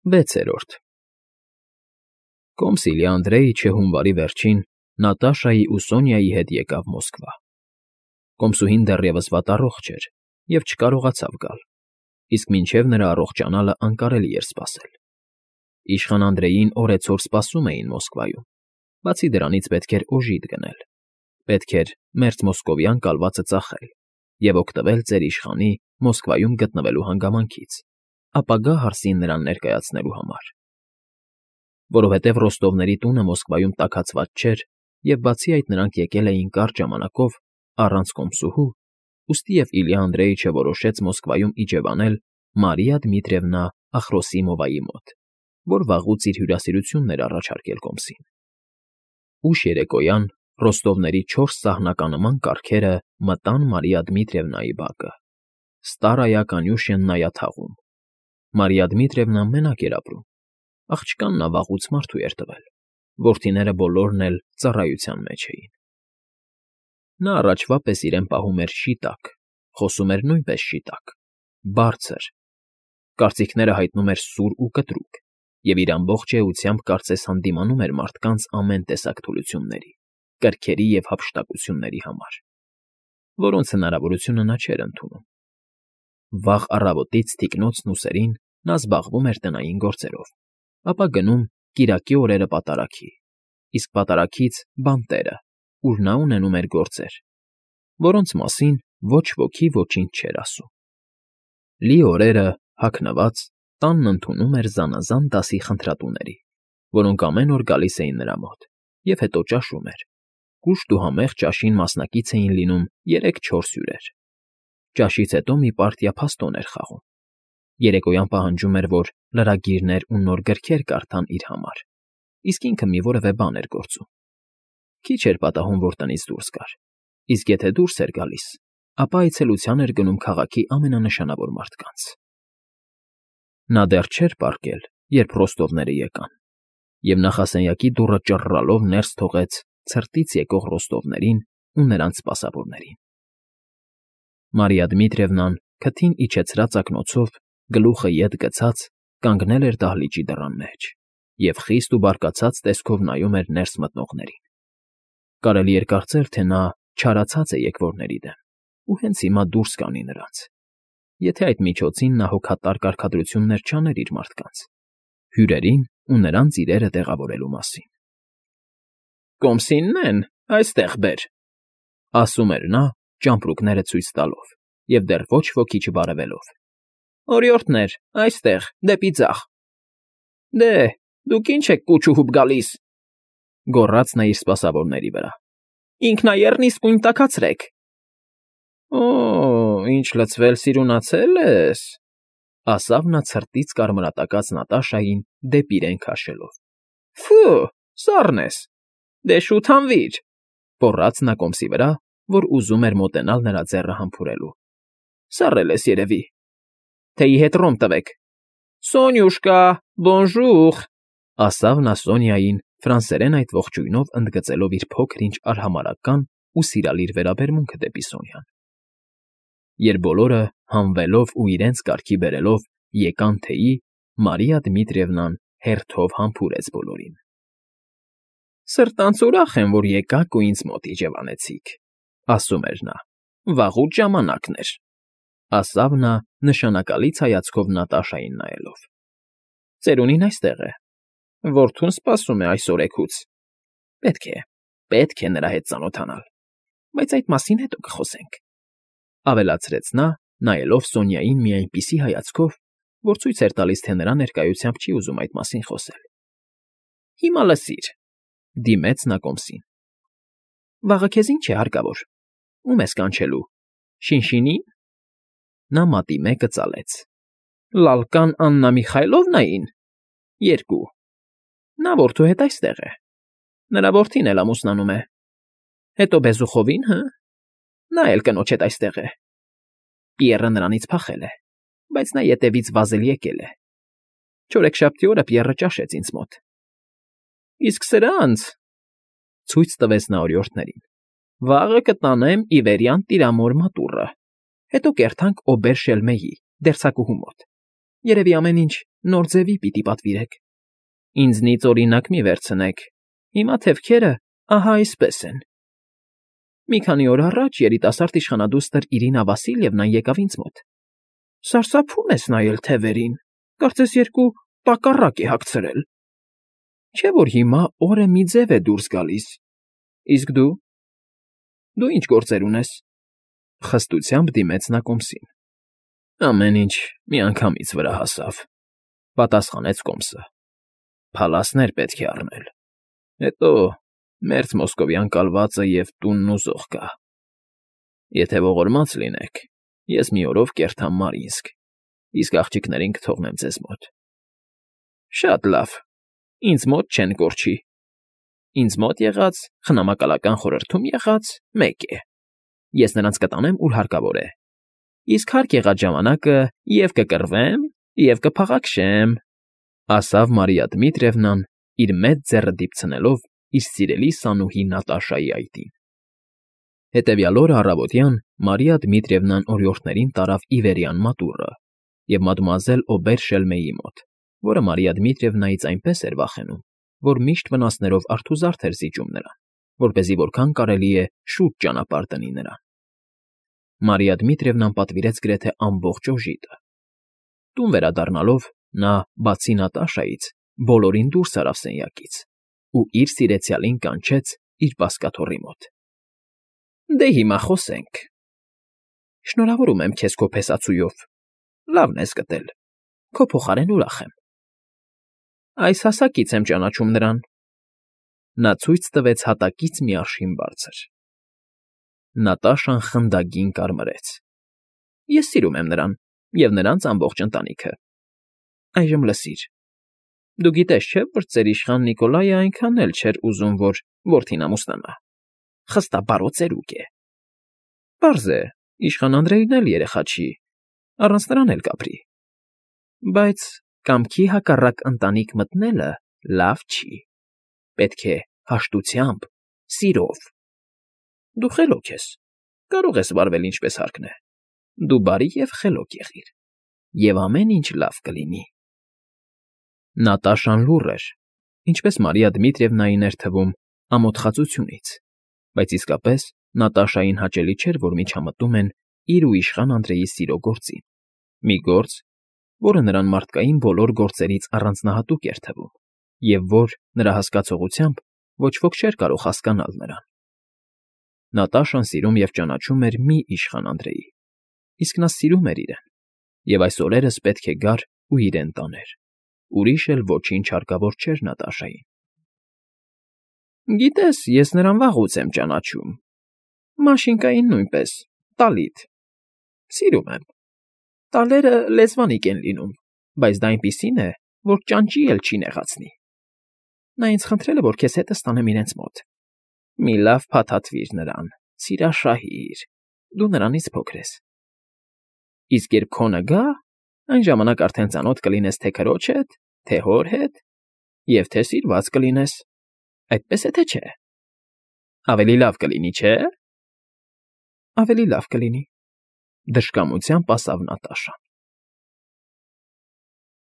6-րդ Կոմսիլյա Անդրեիչը հունվարի վերջին Նատաշայի ու Սոնյայի հետ եկավ Մոսկվա։ Կոմսուհին դեռևս վատառողջ էր և չկարողացավ գալ, իսկ մինչև նրա առողջանալը անկարելի էր սպասել։ Իշխան Անդրեյին օրեցօր սպասում էին Մոսկվայում, բացի դրանից պետք էր օժիտ գնել, պետք էր մերձ մոսկովյան կալվածը ծախել և օգտվել ծեր իշխանի Մոսկվայում գտնվելու հանգամանքից, ապագա հարսին նրան ներկայացնելու համար։ Որովհետև Ռոստովների տունը Մոսկվայում տաքացված չէր, և բացի այդ նրանք եկել էին կարճ ժամանակով առանց կոմսուհու, ուստի և Իլյա Անդրեիչը որոշեց Մոսկվայում իջևանել Մարիա Դմիտրիևնա Ախրոսիմովայի մոտ, որ վաղուց իր հյուրասիրությունն էր առաջարկել կոմսին։ Ուշ երեկոյան Ռոստովների 4 սահնականման կառքերը մտան Մարիա Դմիտրիևնայի բակը, Ստարայա Կանյուշիննայա թաղում։ Մարիա Դմիտրիևնան մենակ էր ապրում, աղջկան նա վաղուց մարդու էր տվել, որդիները բոլորն էլ ծառայության մեջ էին։ Նա առաջվա պես իրեն պահում էր շիտակ, խոսում էր նույնպես շիտակ, բարձր, կարծիքները հայտնում էր սուր ու կտրուկ և իր ամբողջ էությամբ կարծես հանդիմանում էր մարդկանց ամեն տեսակ թուլությունների, կրքերի և հափշտակությունների համար, որոնց հնարավորությունը նա չէր ընդունում։ Վաղ առավոտից թիկնոցն ու սերին նա զբաղվում էր տնային գործերով, ապա գնում կիրակի օրերը պատարագի, իսկ պատարագից բանտերը, ուր նա ունենում էր գործեր, որոնց մասին ոչ ոքի ոչինչ չէր ասում։ Լի օրերը, հագնված, տանն ընդունում էր զանազան դասի խնդրատուների, որոնք ամեն օր գալիս էին նրա մոտ, և հետո ճաշում էր։ Կուշտ ու համեղ ճաշին մասնակից էին լինում 3-4 հյուրեր։ Ճաշից հետո մի պարտիա փաստոն էր խաղում։ Երեկոյան պահանջում էր, որ լրագիրներ ու նոր գրքեր կարդան իր համար, իսկ ինքը մի որևէ բան էր գործում։ Քիչ էր պատահում, որ տնից դուրս գար, իսկ եթե դուրս էր գալիս, ապա այցելության էր գնում քաղաքի ամենանշանավոր մարդկանց։ Նա դեռ չէր պառկել, երբ Ռոստովները եկան, և նախասենյակի դուռը ճռռալով ներս թողեց ցրտից եկող Ռոստովներին ու նրանց սպասավորներին։ Մարիա Դմիտրիևնան քթին իջեցրած ակնոցով, գլուխը ետ գցած, կանգնել էր դահլիճի դռան մեջ և խիստ ու բարկացած տեսքով նայում էր ներս մտնողներին։ Կարելի էր կարծել, թե նա չարացած է եկվորների դեմ ու հենց հիմա դուրս կանի նրանց, եթե այդ միջոցին նա հոգատար կարգադրություններ չաներ իր մարդկանց, հյուրերին ու նրանց իրերը տեղավորելու մասին։ «Կոմսինն այստեղ բեր», ասում էր նա, ճամպրուկները ցույց տալով և դեռ ոչ ոքի չբարևելով։ «Օրիորդներ, այստեղ, դեպի ձախ»։ «Դե, դուք ինչ եք կուչ֊ուհուպ գալիս», գոռաց նա իր սպասավորների վրա։ «Ինքնաեռն իսկույն տաքացրեք»։ «Օ, ինչ լցվել սիրունացել ես», ասավ նա ցրտից կարմրատակած Նատաշային դեպի իրեն քաշելով։ «Ֆը, սառն ես, դե շուտ հանվիր», պոռաց նա կոմսի վրա, որ ուզում էր մոտենալ նրա ձեռը համբուրելու։ «Սառել ես, երևի։ Թեյի հետ ռոմ տվեք»։ «Սոնյուշկա, բոնժուր», ասավ նա Սոնյային, ֆրանսերեն այդ ողջույնով ընդգծելով իր փոքր֊ինչ արհամարհական ու սիրալիր վերաբերմունքը դեպի Սոնյան։ Երբ բոլորը, հանվելով ու իրենց կարգի բերելով, եկան թեյի, Մարիա Դմիտրիևնան հերթով համբուրեց բոլորին։ «Սրտանց ուրախ եմ, որ եկաք ու ինձ մոտ իջևանեցիք», ասում էր նա։ «Վաղուց ժամանակն էր», ասավ նա նշանակալից հայացքով Նատաշային նայելով։ «Ծերունին այստեղ է, որդուն սպասում է այս օրեքուց։ Պետք է նրա հետ ծանոթանալ, բայց այդ մասին հետո կխոսենք», ավելացրեց նա, նայելով Սոնյային մի այնպիսի հայացքով, որ ցույց էր տալիս, թե նրա ներկայությամբ չի ուզում այդ մասին խոսել։ «Հիմա լսիր», դիմեց նա կոմսին։ «Վաղը քեզ ինչ է հարկավոր, ում ես կանչելու, Շինշինի՞ն»։ Նա մատի մեկը ծալեց։ «Լալկան Աննա Միխայլովնային»։ 2. Նա որդու հետ այստեղ է։ Նրա որդին էլ ամուսնանում է։ Հետո Բեզուխովին, հը։ Նա էլ կնոջ հետ այստեղ է։ Պիեռը նրանից փախել է, բայց նա ետևից վազել եկել է։ Չորեքշաբթի օրը Պիեռը ճաշեց ինձ մոտ։ Իսկ սրանց, ցույց տվեց նա օրիորդներին, վաղը կտանեմ Իվերյան Տիրամոր մատուռը, հետո կերթանք Օբեր Շելմեի, դերձակուհու մոտ, Երևի ամեն ինչ նոր ձևի պիտի պատվիրեք։ Ինձնից օրինակ մի վերցնեք։ Հիմա թևքերը ահա այսպես են։ Մի քանի օր առաջ երիտասարդ իշխանադուստր Իրինա Վասիլևնան եկավ ինձ մոտ։ Սարսափում ես նայել թևերին, կարծես երկու տակառակ է հագցրել։ Չէ՞ որ հիմա օրը մի ձև է դուրս գալիս։ Իսկ դու ինչ գործեր ունես։ Խստությամբ դիմեց նա կոմսին։ Ամեն ինչ միանգամից վրա հասավ, պատասխանեց կոմսը։ Փալասներ պետք է առնել։ Հետո մերձ մոսկովյան կալվածը և տունն ու զողկա։ Եթե ողորմած լինեք, ես մի օրով կերթամ Մարինսկ, իսկ աղջիկներին կթողնեմ ձեզ մոտ։ Շատ լավ, ինձ մոտ չեն կորչի։ Ինձ մոտ եղած, խնամակալական խորհրդում եղած մեկ է։ Ես նրանց կտանեմ, ուր հարկավոր է։ Իսկ հարկ եղած ժամանակը և կկռվեմ, և կփաղաքշեմ, ասավ Մարիա Դմիտրիևնան, իր մեծ ձեռը դիպցնելով իր սիրելի սանուհի Նատաշայի այտին։ Հետևյալ օրը առավոտյան Մարիա Դմիտրիևնան օրիորդներին տարավ Իվերյան մատուռը և մադմուազել Օբեր֊Շելմեի մոտ, որը Մարիա Դմիտրիևնայից այնպես էր վախենում, որ միշտ վնասներով արթուզարդ էր զիջում նրան, որպեսզի որքան կարելի է շուտ ճանապարհ տնի նրան։ Մարիա Դմիտրիևնան պատվիրեց գրեթե ամբողջ օժիտը։ Տուն վերադառնալով նա, բացի Նատաշայից, բոլորին դուրս արավ սենյակից ու իր սիրեցյալին կանչեց իր բազկաթոռի մոտ։ Դե հիմա խոսենք։ Շնորհավորում եմ քեզ քո փեսացուով, լավն ես գտել, քո փոխարեն ուրախ եմ։ Այս հասակից եմ ճանաչում նրան։ Նա ցույց տվեց հատակից մի արշին բարձր։ Նատաշան խնդագին կարմրեց։ Ես սիրում եմ նրան և նրանց ամբողջ ընտանիքը։ Այժմ լսիր։ Դու գիտես, չէ՞, որ ծեր իշխան Նիկոլայը այնքան էլ չէր ուզում, որ որդին ամուսնանա։ Խստաբարո ծերուկ է։ Պարզ է, իշխան Անդրեյն էլ երեխա չի, առանց նրան էլ կապրի։ Բայց կամքի հակառակ ընտանիք մտնելը լավ չի։ Պետք է հաշտությամբ, սիրով։ Դու խելոք ես, կարող ես վարվել ինչպես հարկն է։ Դու բարի և խելոք եղիր, և ամեն ինչ լավ կլինի։ Նատաշան լուռ էր, ինչպես Մարիա Դմիտրիևնային էր թվում, ամոթխածությունից, բայց իսկապես Նատաշային հաճելի չէր, որ միջամտում են իր ու իշխան Անդրեյի սիրո գործին, մի գործ, որը նրան մարդկային բոլոր գործերից առանձնահատուկ էր թվում, և որ, նրա հասկացողությամբ, ոչ ոք չէր կարող հասկանալ նրան։ Նատաշան սիրում և ճանաչում էր մի իշխան Անդրեյի, իսկ նա սիրում էր իրեն, և այս օրերս պետք է գար ու իրեն տաներ։ Ուրիշ էլ ոչինչ հարկավոր չէր Նատաշային։ Գիտես, ես նրան վաղուց եմ ճանաչում։ Մաշինկային նույնպես, տալիթ։ Սիրում եմ։ Տալերը լեզվանիկ են լինում, բայց դա այնպիսին է, որ ճանճի էլ չի նեղացնի։ Նա ինձ խնդրել է, որ քեզ հետս տանեմ իրենց մոտ։ Մի լավ փաթաթվիր նրան, սիրաշահիր, դու նրանից փոքր ես։ Իսկ երբ քոնը գա, այն ժամանակ արդեն ծանոթ կլինես թե քրոջ հետ, թե հոր հետ, և թե սիրված կլինես, այդպես է թե չէ։ Ավելի լավ կլինի, չէ՞։ Ավելի լավ կլինի, դժկամությամբ ասավ Նատաշան։